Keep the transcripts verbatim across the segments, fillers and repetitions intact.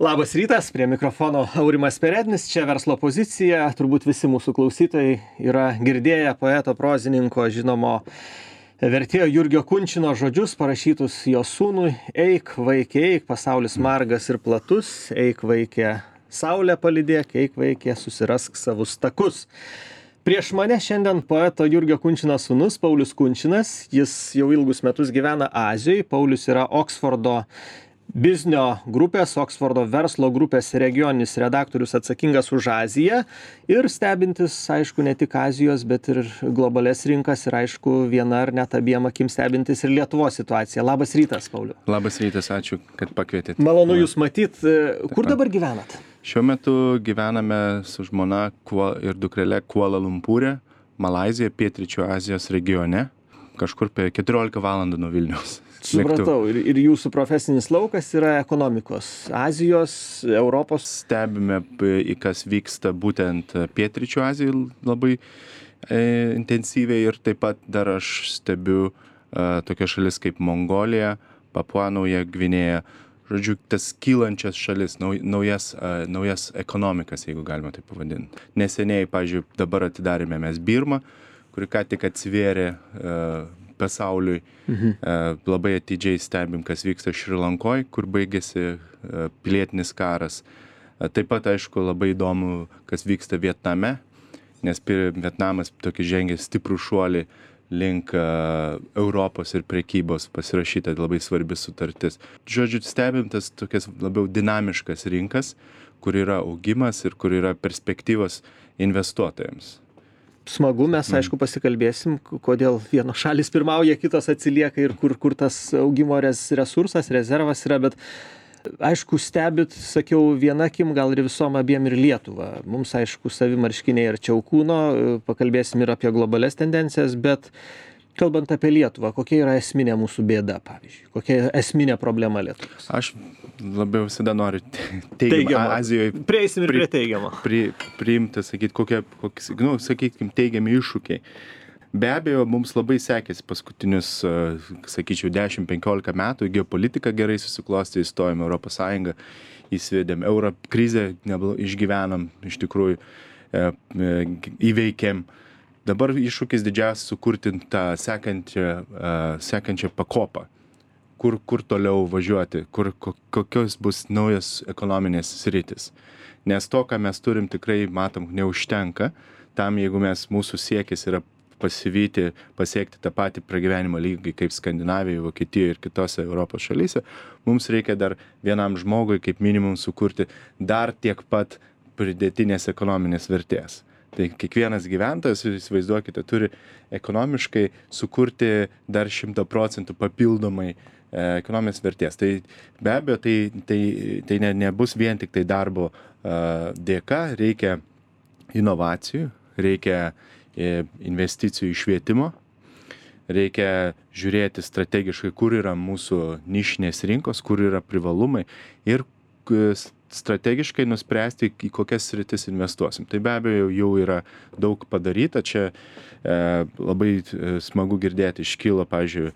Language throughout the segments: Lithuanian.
Labas rytas, prie mikrofono Aurimas Perednis, čia verslo pozicija. Turbūt visi mūsų klausytojai yra girdėję poeto prozininko žinomo vertėjo Jurgio Kunčino žodžius parašytus jo sūnui: eik, vaikė, eik, pasaulis margas ir platus, eik, vaikė, saulę palydėk, eik, vaikė, susirask savus takus. Prieš mane šiandien poeto Jurgio Kunčino sūnus Paulius Kunčinas. Jis jau ilgus metus gyvena Azijoje. Paulius yra Oksfordo biznio grupės, Oksfordo verslo grupės regioninis redaktorius atsakingas už Aziją ir stebintis, aišku, ne tik Azijos, bet ir globales rinkas ir, aišku, viena ar net abiem akim stebintis ir Lietuvos situaciją. Labas rytas, Pauliau. Labas rytas, ačiū, kad pakvietėte. Malonu Jūs matyt. Kur dabar gyvenat? Šiuo metu gyvename su žmona ir dukrele Kuala Lumpūre, Malaizijoje, Pietryčių Azijos regione, kažkur apie keturiolika valandų nuo Vilniaus. Supratau. Ir, ir jūsų profesinis laukas yra ekonomikos. Azijos, Europos. Stebime, į kas vyksta būtent Pietryčių Azijoje labai e, intensyviai ir taip pat dar aš stebiu e, tokias šalis kaip Mongolija, Papua Nauja Gvinėja. Žodžiu, tas kylančias šalis, nauj, naujas, uh, naujas ekonomikas, jeigu galima tai pavadinti. Neseniai, pavyzdžiui, dabar atidarėme mes Birmą, kuri ką tik atsivėrė uh, pasauliui. Mhm. Uh, labai atidžiai stebim, kas vyksta Šri Lankoj, kur baigėsi uh, pilietinis karas. Uh, taip pat, aišku, labai įdomu, kas vyksta Vietname, nes Vietnamas tokį žengė stiprų šuolį link uh, Europos ir prekybos, pasirašyta labai svarbi sutartis. Žodžiu, stebim tas tokias labiau dinamiškas rinkas, kur yra augimas ir kur yra perspektyvos investuotojams. Smagu, mes aišku pasikalbėsim, kodėl vienos šalis pirmauja, kitos atsilieka ir kur, kur tas augimo res, resursas, rezervas yra, bet aišku, stebit, sakiau, viena akim, gal ir visom abiem ir Lietuvą. Mums, aišku, savi marškiniai ir čiaukūno, pakalbėsim ir apie globales tendencijas, bet kalbant apie Lietuvą, kokia yra esminė mūsų bėda, pavyzdžiui? Kokia esminė problema Lietuvos? Aš labiau visada noriu teigiamą Azijoje. Prieisim ir prie teigiamo. Pri, priimti, sakyti, kokie, kokie, nu, sakykim, teigiami iššūkiai. Be abejo, mums labai sekėsi paskutinius, sakyčiau, dešimt penkiolika metų, geopolitika gerai susiklostė, įstojom Europos Sąjungą, įsivedėm euro krizę, išgyvenam, iš tikrųjų e, e, įveikėm. Dabar iššūkis didžiausias sukurti tą sekančią, e, sekančią pakopą, kur, kur toliau važiuoti, kur, kokios bus naujas ekonominės sritis. Nes to, ką mes turim, tikrai, matom, neužtenka. Tam, jeigu mes, mūsų siekis yra pasivyti, pasiekti tą patį pragyvenimo lygį kaip Skandinavijoje, Vokietijoje ir kitose Europos šalyse, mums reikia dar vienam žmogui kaip minimum sukurti dar tiek pat pridėtinės ekonominės vertės. Tai kiekvienas gyventojas, įsivaizduokite, turi ekonomiškai sukurti dar šimtą procentų papildomai e, ekonominės vertės. Tai be abejo, tai, tai, tai ne, nebus vien tik tai darbo e, dėka, reikia inovacijų, reikia investicijų į švietimo, reikia žiūrėti strategiškai, kur yra mūsų nišinės rinkos, kur yra privalumai ir strategiškai nuspręsti, į kokias sritis investuosim. Tai be abejo jau yra daug padaryta. Čia e, labai smagu girdėti, iškilo, pavyzdžiui,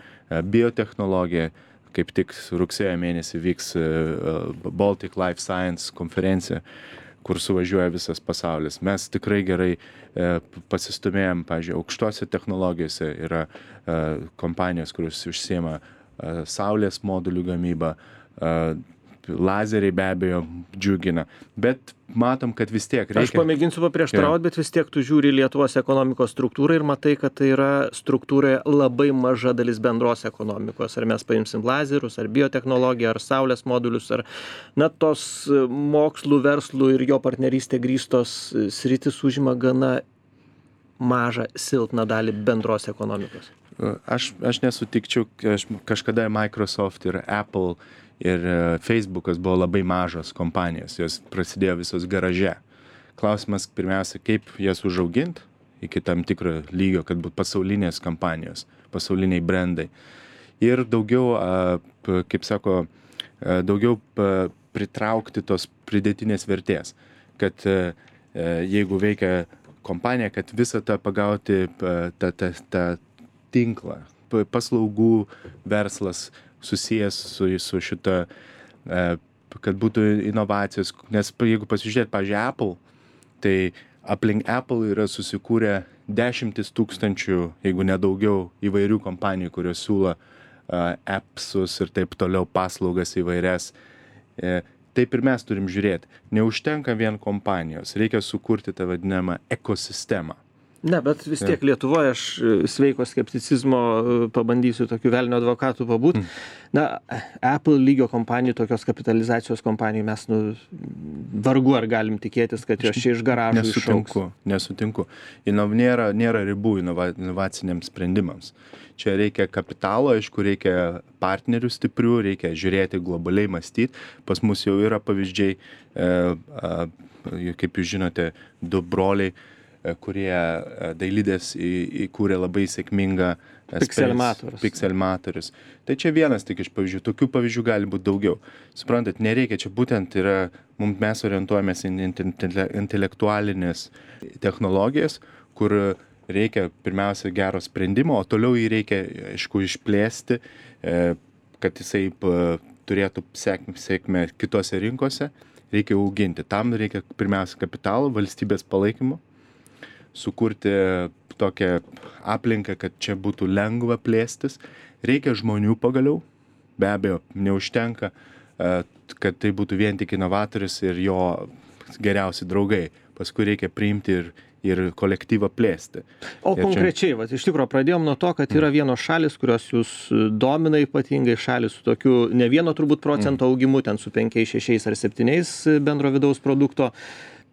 biotechnologija, kaip tik rugsėjo mėnesį vyks Baltic Life Science konferencija, kur suvažiuoja visas pasaulis. Mes tikrai gerai e, pasistumėjom, pavyzdžiui, aukštose technologijose yra e, kompanijos, kurios užsiema e, saulės modulių gamybą, e, lazeriai be abejo džiugina, bet matom, kad vis tiek reikia. Aš pamėginsiu paprieštarauti, bet vis tiek tu žiūri Lietuvos ekonomikos struktūrą ir matai, kad tai yra struktūroje labai maža dalis bendros ekonomikos. Ar mes paimsim lazerius, ar biotechnologiją, ar saulės modulius, ar na, tos mokslų, verslų ir jo partnerystė grįstos sritis užima gana mažą, silpną dalį bendros ekonomikos. Aš, aš nesutikčiau, aš kažkada Microsoft ir Apple ir Facebookas buvo labai mažos kompanijos, jos prasidėjo visos garaže. Klausimas pirmiausia, kaip jas užaugint iki tam tikro lygio, kad būtų pasaulinės kompanijos, pasauliniai brandai. Ir daugiau, kaip sako, daugiau pritraukti tos pridėtinės vertės, kad jeigu veikia kompanija, kad visą tą pagauti tą, tą, tą tinklą, paslaugų verslas susijęs su, su šita e, kad būtų inovacijos, nes jeigu pasižiūrėt, pavyzdžiui, Apple, tai aplink Apple yra susikūrę dešimtis tūkstančių, jeigu nedaugiau, įvairių kompanijų, kurios siūlo uh, appsus ir taip toliau paslaugas įvairias. E, taip ir mes turim žiūrėti. Neužtenka vien kompanijos, reikia sukurti tą vadinamą ekosistemą. Ne, bet vis tiek Lietuvoje aš sveiko skepticizmo pabandysiu tokių velnio advokatų pabūt. Mm. Na, Apple lygio kompanijų, tokios kapitalizacijos kompanijų mes nu, vargu ar galim tikėtis, kad jos čia iš garažų nesutinku, išaugs. Nesutinku. Inov, nėra, nėra ribų inova, inovaciniams sprendimams. Čia reikia kapitalo, aišku, reikia partnerių stiprių, reikia žiūrėti globaliai, mąstyti. Pas mus jau yra pavyzdžiai, e, e, kaip jūs žinote, du broliai, kurie Dailidės įkūrė labai sėkmingą Pixelmatorius. Pixelmatorius. Tai čia vienas tik iš pavyzdžių. Tokių pavyzdžių gali būti daugiau. Suprantat, nereikia, čia būtent yra, mums mes orientuojamės į intelektualinės technologijas, kur reikia pirmiausia gero sprendimo, o toliau jį reikia, aišku, išplėsti, kad jisai turėtų sėkmę kitose rinkose, reikia auginti. Tam reikia pirmiausia kapitalo, valstybės palaikymo, sukurti tokią aplinką, kad čia būtų lengva plėstis. Reikia žmonių pagaliau, be abejo, neužtenka, kad tai būtų vien tik inovatorius ir jo geriausi draugai. Paskui reikia priimti ir, ir kolektyvą plėsti. O ir konkrečiai, čia... vat, iš tikrųjų, pradėjom nuo to, kad yra vienos šalis, kurios jūs domina ypatingai, šalis su tokiu ne vieno turbūt procento augimu, ten su penkiais, šešiais ar septyniais bendro vidaus produkto.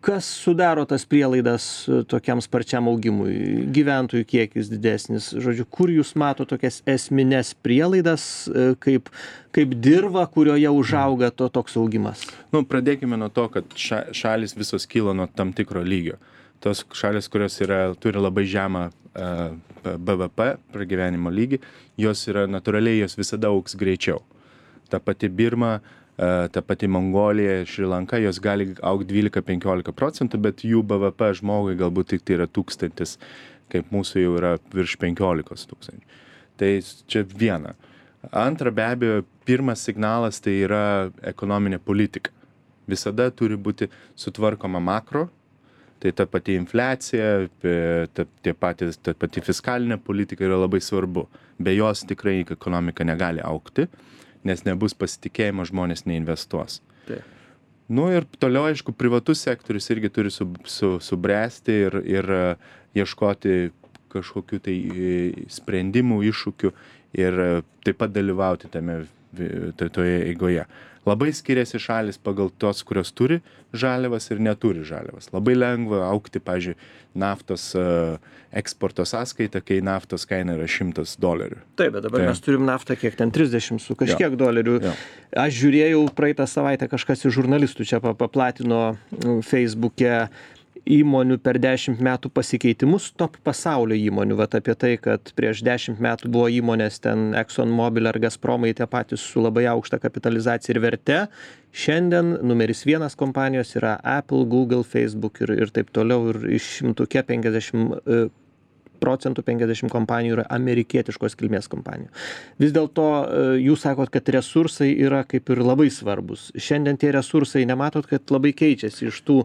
Kas sudaro tas prielaidas tokiam sparčiam augimui? Gyventojų kiekis didesnis. Žodžiu, kur jūs mato tokias esmines prielaidas, kaip, kaip dirva, kurioje užauga to toks augimas? Nu, pradėkime nuo to, kad ša, šalis visos kyla nuo tam tikro lygio. Tos šalis, kurios yra, turi labai žemą uh, B V P, pragyvenimo lygį, jos yra natūraliai, jos visada augs greičiau. Ta pati Birma, ta pati Mongolija, Šri Lanka, jos gali augti dvylika penkiolika procentų, bet jų B V P žmogui galbūt tik tai yra tūkstantis, kaip mūsų jau yra virš penkiolikos tūkstančių. Tai čia viena. Antra, be abejo, pirmas signalas tai yra ekonominė politika. Visada turi būti sutvarkoma makro, tai ta pati infliacija, ta, tie patys, ta pati fiskalinė politika yra labai svarbu. Be jos tikrai ekonomika negali augti, nes nebus pasitikėjimo, žmonės neinvestuos. Taip. Nu ir toliau, aišku, privatus sektorius irgi turi su, su, subręsti ir, ir ieškoti kažkokių tai sprendimų, iššūkių ir taip pat dalyvauti tame toje eigoje. Labai skiriasi šalis pagal tos, kurios turi žaliavas ir neturi žaliavas. Labai lengva augti, pavyzdžiui, naftos uh, eksporto sąskaitą, kai naftos kaina yra šimtas dolerių. Taip, bet dabar tai mes turim naftą kiek ten trisdešimt su kažkiek jo. dolerių. Jo. Aš žiūrėjau praeitą savaitę, kažkas iš žurnalistų čia paplatino Facebook'e įmonių per dešimt metų pasikeitimus, top pasaulio įmonių. Vat apie tai, kad prieš dešimt metų buvo įmonės ten ExxonMobil ar Gazpromai tie patys su labai aukšta kapitalizacija ir verte. Šiandien numeris vienas kompanijos yra Apple, Google, Facebook ir, ir taip toliau. Ir iš šimtuke penkiasdešimt procentų penkiasdešimt kompanijų yra amerikietiškos kilmės kompanijų. Vis dėlto jūs sakot, kad resursai yra kaip ir labai svarbus. Šiandien tie resursai nematot, kad labai keičiasi iš tų,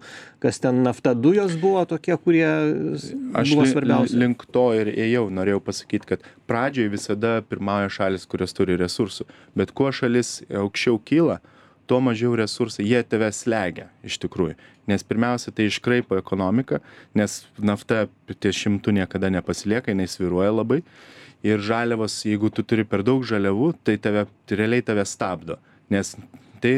kas ten nafta, dujos buvo tokie, kurie buvo svarbiausi. Aš link to ir ėjau, norėjau pasakyti, kad pradžioje visada pirmauja šalis, kurios turi resursų. Bet kuo šalis aukščiau kyla, tuo mažiau resursai, jie tave slegia iš tikrųjų. Nes pirmiausia, tai iškraipo ekonomiką, nes nafta ties šimtų niekada nepasilieka, jinai svyruoja labai. Ir žaliavos, jeigu tu turi per daug žaliavų, tai tave, tai realiai tave stabdo. Nes tai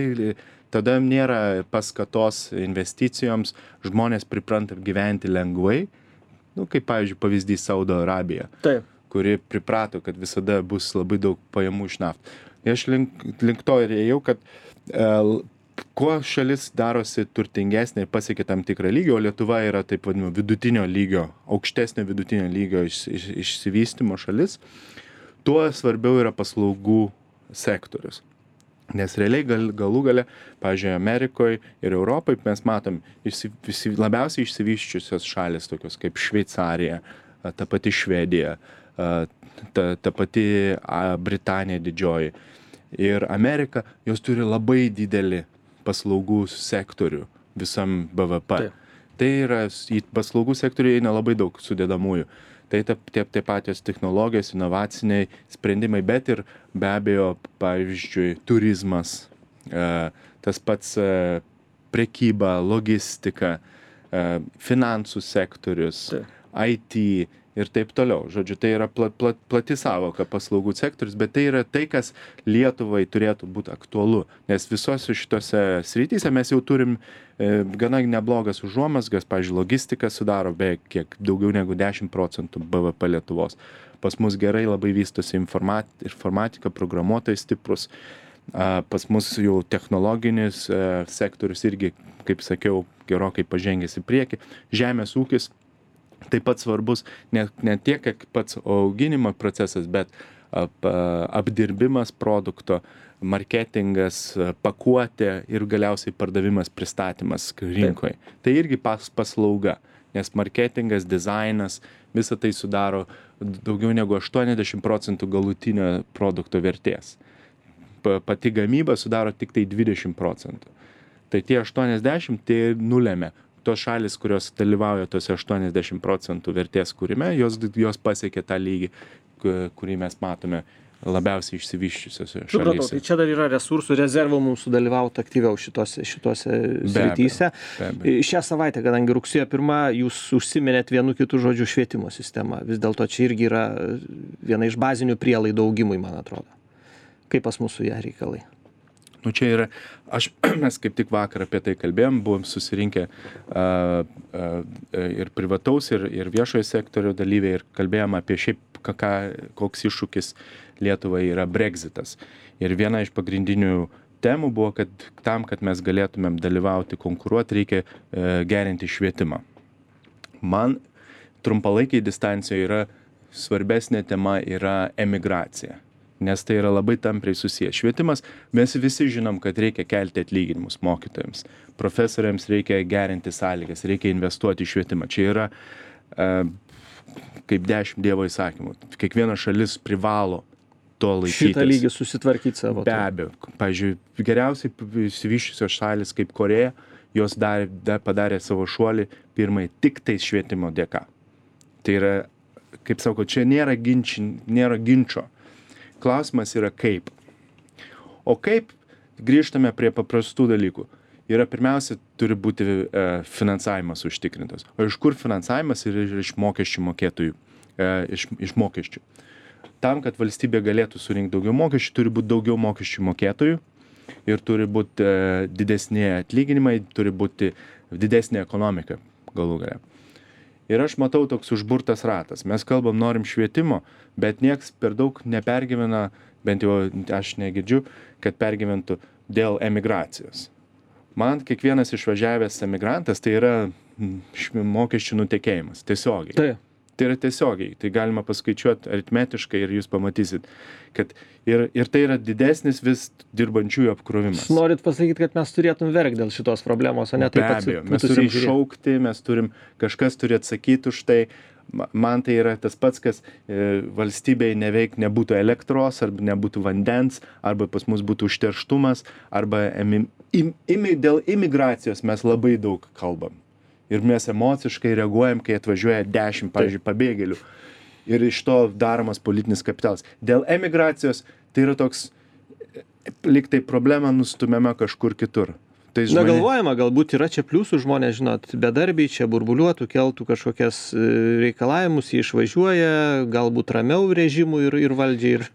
tada nėra paskatos investicijoms, žmonės pripranta gyventi lengvai. Nu, kaip pavyzdžiui, pavyzdys Saudo Arabija, Taip. kuri priprato, kad visada bus labai daug pajamų iš naftos. Aš link, link to ir ėjau, kad uh, kuo šalis darosi turtingesnė ir pasiekia tam tikrą lygį, o Lietuva yra taip vadinamo vidutinio lygio, aukštesnio vidutinio lygio iš, iš, išsivystymo šalis, tuo svarbiau yra paslaugų sektorius. Nes realiai gal, galų gale, pavyzdžiui, Amerikoje ir Europoje mes matom išsi, visi, labiausiai išsivyščiusios šalis, tokios kaip Šveicarija, ta pati Švedija, ta, ta pati Britanija didžioji ir Amerika, jos turi labai didelį paslaugų sektorių visam B V P. Taip. Tai yra, į paslaugų sektorių eina labai daug sudedamųjų. Tai tie, tie patys technologijos, inovaciniai sprendimai, bet ir be abejo, pavyzdžiui, turizmas, tas pats prekyba, logistika, finansų sektorius, Taip. I T ir taip toliau. Žodžiu, tai yra plat, plat, plati savoka paslaugų sektorius, bet tai yra tai, kas Lietuvai turėtų būti aktualu. Nes visose šitose srityse mes jau turim e, gana neblogas užuomasgas, pavyzdžiui, logistika sudaro beveik kiek daugiau negu dešimt procentų B V P Lietuvos. Pas mus gerai labai vystosi informat, informatika, programuotojai stiprus. A, pas mus jau technologinis e, sektorius irgi, kaip sakiau, gerokai pažengęs į priekį. Žemės ūkis taip pat svarbus, ne, ne tiek, kiek pats auginimo procesas, bet ap, apdirbimas produkto, marketingas, pakuotė ir galiausiai pardavimas, pristatymas rinkoje. Taip. Tai irgi pas, paslauga, nes marketingas, dizainas, visa tai sudaro daugiau negu aštuoniasdešimt procentų galutinio produkto vertės. Pa, pati gamyba sudaro tik tai dvidešimt procentų. Tai tie aštuoniasdešimt tai nulėmė. Tos šalis, kurios dalyvauja tose aštuoniasdešimt procentų vertės kūrime, jos, jos pasiekė tą lygį, kurį mes matome labiausiai išsivyščiusiose šalyse. Supratau, tai čia dar yra resursų, rezervų mums sudalyvauti aktyviau šitose, šitose srityse. Šią savaitę, kadangi rugsėjo pirmą, jūs užsiminėt vienu kitu žodžiu švietimo sistemą. Vis dėlto čia irgi yra viena iš bazinių prielaidų augimui, man atrodo. Kaip pas mūsų ją reikalai? Nu čia yra, aš, mes kaip tik vakar apie tai kalbėjom, buvom susirinkę a, a, ir privataus, ir, ir viešojo sektorio dalyviai ir kalbėjom apie šiaip, ką, koks iššūkis Lietuvai yra Brexitas. Ir viena iš pagrindinių temų buvo, kad tam, kad mes galėtumėm dalyvauti, konkuruoti, reikia e, gerinti švietimą. Man trumpalaikiai distancijoje yra svarbesnė tema yra emigracija. Nes tai yra labai tampriai susijęs. Švietimas, mes visi žinom, kad reikia kelti atlyginimus mokytojams. Profesoriams reikia gerinti sąlygas, reikia investuoti į švietimą. Čia yra e, kaip dešimt Dievo įsakymų. Kiekviena šalis privalo to laikytis. Šitą lygį susitvarkyti savo. Be abejo. Pavyzdžiui, geriausiai išsivyščiusios šalis kaip Koreja, jos dar, dar padarė savo šuolį pirmai tik tais švietimo dėka. Tai yra, kaip sako, čia nėra, ginči, nėra ginčio. Klausimas yra kaip. O kaip grįžtame prie paprastų dalykų. Yra pirmiausia, turi būti e, finansavimas užtikrintas. O iš kur finansavimas yra iš mokesčių mokėtojų, e, iš, iš mokesčių. Tam, kad valstybė galėtų surinkti daugiau mokesčių, turi būti daugiau mokesčių mokėtojų ir turi būti e, didesnė atlyginimai, turi būti didesnė ekonomika galų gale. Ir aš matau toks užburtas ratas. Mes kalbam, norim švietimo, bet nieks per daug nepergyvena, bent jau aš negirdžiu, kad pergyventų dėl emigracijos. Man kiekvienas išvažiavęs emigrantas tai yra mokesčių nutekėjimas, tiesiogiai. Tai. Tai yra tiesiogiai, tai galima paskaičiuoti aritmetiškai ir jūs pamatysit, kad ir, ir tai yra didesnis vis dirbančiųjų apkrovimas. Norit pasakyti, kad mes turėtum verkti dėl šitos problemos, o ne taip pat. Be abejo, mes turim šaukti, mes turim, kažkas turi atsakyti už tai. Man tai yra tas pats, kas e, valstybei neveik nebūtų elektros, arba nebūtų vandens, arba pas mus būtų užterštumas, arba imi, im, imi, dėl imigracijos mes labai daug kalbam. Ir mes emociškai reaguojam, kai atvažiuoja dešimt, pavyzdžiui, pabėgėlių. Ir iš to daromas politinis kapitalas. Dėl emigracijos tai yra toks, lyg tai problema nustumiama kažkur kitur. Tai žmonė... Na galvojama, galbūt yra čia pliusų, žmonės, žinot, bedarbiai čia burbuliuotų, keltų kažkokias reikalavimus, jie išvažiuoja, galbūt ramiau režimų ir, ir valdžiai. Ir...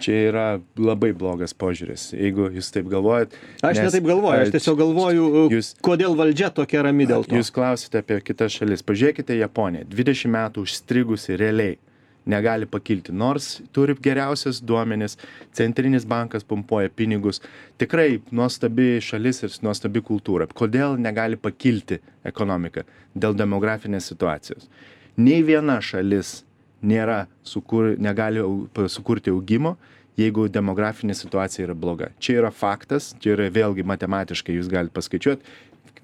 Čia yra labai blogas požiūris, jeigu jūs taip galvojat. Aš nes, ne taip galvoju, aš tiesiog galvoju, jūs, kodėl valdžia tokia rami dėl to. Jūs klausite apie kitas šalis. Pažiūrėkite Japoniją, dvidešimt metų užstrigusi realiai. Negali pakilti, nors turi geriausias duomenis, centrinis bankas pumpuoja pinigus, tikrai nuostabi šalis ir nuostabi kultūra. Kodėl negali pakilti ekonomika? Dėl demografinės situacijos. Nei viena šalis nėra sukur, negali sukurti augimo, jeigu demografinė situacija yra bloga. Čia yra faktas, čia yra vėlgi matematiškai, jūs galite paskaičiuoti.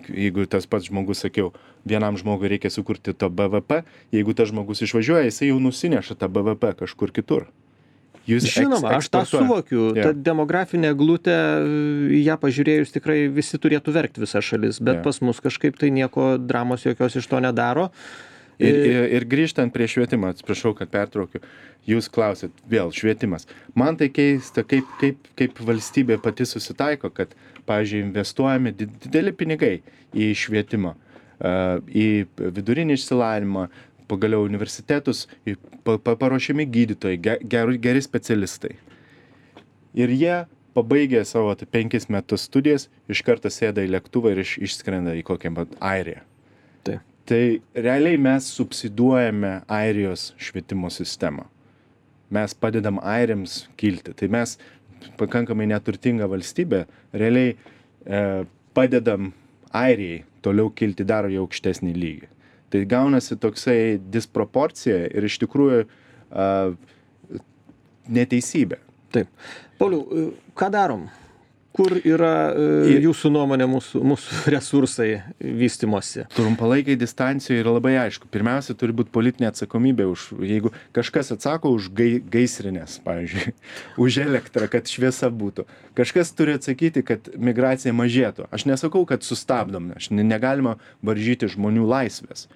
Jeigu tas pats žmogus, sakiau, vienam žmogui reikia sukurti to B V P, jeigu tas žmogus išvažiuoja, jisai jau nusineša tą B V P kažkur kitur. Jūs Žinoma, eks- aš tą eksportuoja. suvokiu. Jo. Ta demografinė glutė, į ją pažiūrėjus tikrai visi turėtų verkti visa šalis, bet Jo. pas mus kažkaip tai nieko dramos jokios iš to nedaro. Ir, ir, ir grįžtant prie švietimo, atsiprašau, kad pertraukiu, jūs klausėt, vėl švietimas. Man tai keista, kaip, kaip, kaip valstybė pati susitaiko, kad, pavyzdžiui, investuojami did- dideli pinigai į švietimą, a, į vidurinį išsilavinimą, pagaliau universitetus, į pa- pa- paruošiami gydytojai, ge- geri, geri specialistai. Ir jie pabaigė savo tai penkis metus studijas, iš karto sėda į lėktuvą ir iš, išskrenda į kokią vat Airiją. Taip. Tai realiai mes subsiduojame Airijos švietimo sistemą. Mes padedam airiams kilti. Tai mes pakankamai neturtinga valstybė, realiai e, padedam Airijai toliau kilti dar į aukštesnį lygį. Tai gaunasi toksai disproporcija ir iš tikrųjų a, neteisybė. Taip. Pauliau, ką darom? Kur yra e, Ir- jūsų nuomonė mūsų, mūsų resursai vystimosi? Trumpalaikiai distancijoje yra labai aišku. Pirmiausia, turi būti politinė atsakomybė už, jeigu kažkas atsako už gai, gaisrinės, pavyzdžiui, už elektrą, kad šviesa būtų. Kažkas turi atsakyti, kad migracija mažėtų. Aš nesakau, kad sustabdom, aš ne- negalima varžyti žmonių laisvės.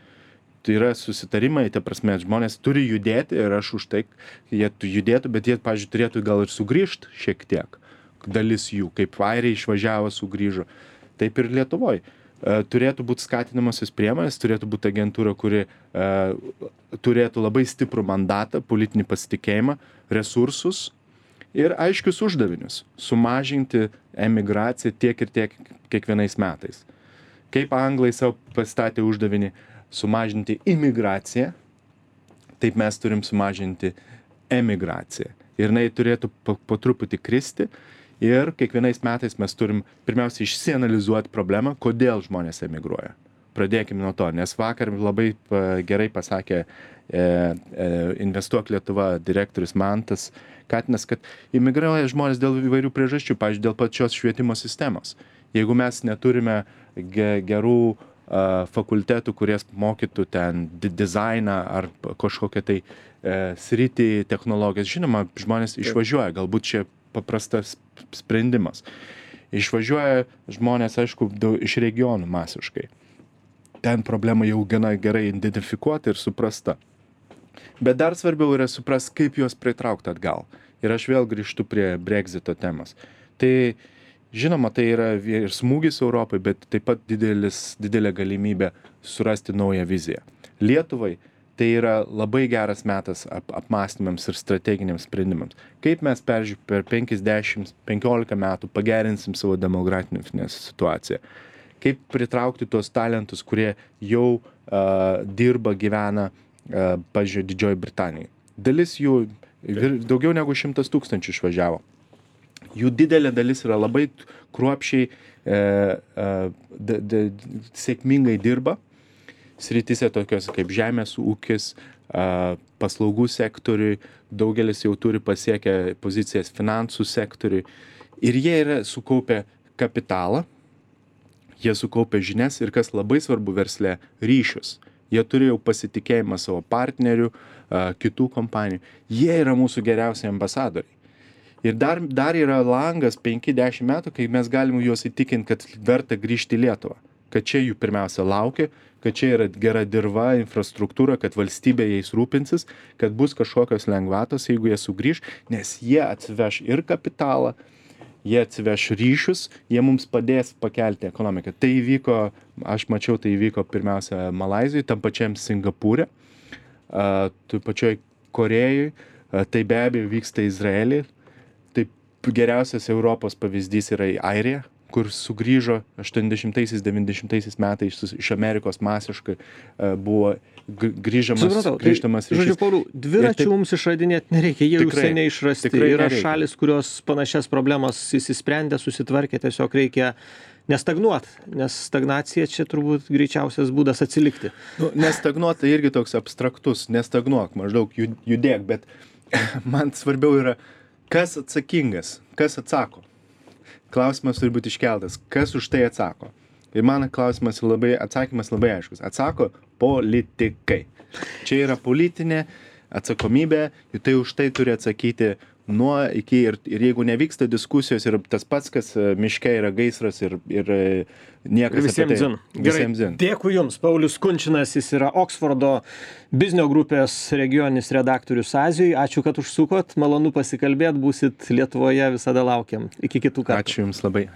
Tai yra susitarimai, ta prasme, žmonės turi judėti ir aš už tai, jie tu- judėtų, bet jie, pavyzdžiui, turėtų gal ir sugrįžti šiek tiek. Dalis jų, kaip airiai išvažiavo, sugrįžo. Taip ir Lietuvoj. E, turėtų būti skatinamosios priemonės, turėtų būti agentūra, kuri e, turėtų labai stiprų mandatą, politinį pasitikėjimą, resursus ir aiškius uždavinius. Sumažinti emigraciją tiek ir tiek kiekvienais metais. Kaip anglai savo pastatė uždavinį sumažinti imigraciją, taip mes turim sumažinti emigraciją. Ir jinai turėtų po, po truputį kristi. Ir kiekvienais metais mes turim pirmiausia išsianalizuoti problemą, kodėl žmonės emigruoja. Pradėkime nuo to, nes vakar labai pa- gerai pasakė e, e, Investuok Lietuva direktorius Mantas Katinas, kad emigruoja žmonės dėl įvairių priežasčių, pavyzdžiui, dėl pačios švietimo sistemos. Jeigu mes neturime ge, gerų a, fakultetų, kurie mokytų ten di- dizainą ar p- kažkokią tai e, sritį technologijas, žinoma, žmonės išvažiuoja, galbūt čia paprastas sprendimas. Išvažiuoja žmonės, aišku, daug, iš regionų masiškai. Ten problema jau gana gerai identifikuota ir suprasta. Bet dar svarbiau yra suprast, kaip juos pritraukti atgal. Ir aš vėl grįžtu prie Brexito temos. Tai, žinoma, tai yra ir smūgis Europai, bet taip pat didelis, didelė galimybė surasti naują viziją. Lietuvai tai yra labai geras metas ap, apmąstymams ir strateginiams sprendimams. Kaip mes perži, per penkiasdešimt penkiolika metų pagerinsim savo demografinę situaciją. Kaip pritraukti tuos talentus, kurie jau uh, dirba, gyvena, uh, pažiūrėjau, Didžioji Britanijai. Dalis jų, vir, daugiau negu šimtas tūkstančių išvažiavo. Jų didelė dalis yra labai kruopščiai, uh, uh, d, d, sėkmingai dirba. Srityse tokios kaip žemės ūkis, paslaugų sektoriui, daugelis jau turi pasiekę pozicijas finansų sektoriui ir jie yra sukaupę kapitalą, jie sukaupę žinias ir kas labai svarbu versle ryšius. Jie turi jau pasitikėjimą savo partnerių, kitų kompanijų. Jie yra mūsų geriausi ambasadoriai. Ir dar, dar yra langas penki dešimt metų, kai mes galim juos įtikinti, kad verta grįžti į Lietuvą. Kad čia jų pirmiausia laukia, kad čia yra gera dirva, infrastruktūra, kad valstybė jais rūpinsis, kad bus kažkokios lengvatos, jeigu jie sugrįž, nes jie atsiveš ir kapitalą, jie atsiveš ryšius, jie mums padės pakelti ekonomiką. Tai įvyko, aš mačiau, tai įvyko pirmiausia Malaizijoje, tam pačiam Singapūre, tai pačioj Korėjoj, tai be abejo vyksta Izraelį. Tai geriausias Europos pavyzdys yra Airija, kur sugrįžo aštuoniasdešimtaisiais devyniasdešimtaisiais metais iš Amerikos masiškai buvo grįžamas, Supratau, grįžtamas tai, žodžiu, Pauliau, dviračių taip, mums išradinėti nereikia, jie jau tikrai, seniai išrasti. tikrai Yra nereikia. šalis, kurios panašias problemas įsisprendė, susitvarkė, tiesiog reikia nestagnuot, nes stagnacija čia turbūt greičiausias būdas atsilikti. Nu, nestagnuot tai irgi toks abstraktus, nestagnuok, maždaug jud- judėk, bet man svarbiau yra, kas atsakingas, kas atsako. Klausimas turi būti iškeltas, kas už tai atsako. Ir mano klausimas labai, atsakymas labai aiškus. Atsako politikai. Čia yra politinė atsakomybė, ir tai už tai turi atsakyti nuo iki ir, ir jeigu nevyksta diskusijos ir tas pats, kas miške yra gaisras ir, ir niekas visiems apie tai. Zin. Gerai, Visiems zin. Dėkui Jums. Paulius Kunčinas, jis yra Oksfordo biznio grupės regioninis redaktorius Azijoj. Ačiū, kad užsukot. Malonu pasikalbėt. Būsit Lietuvoje, visada laukiam. Iki kitų kartų. Ačiū Jums labai.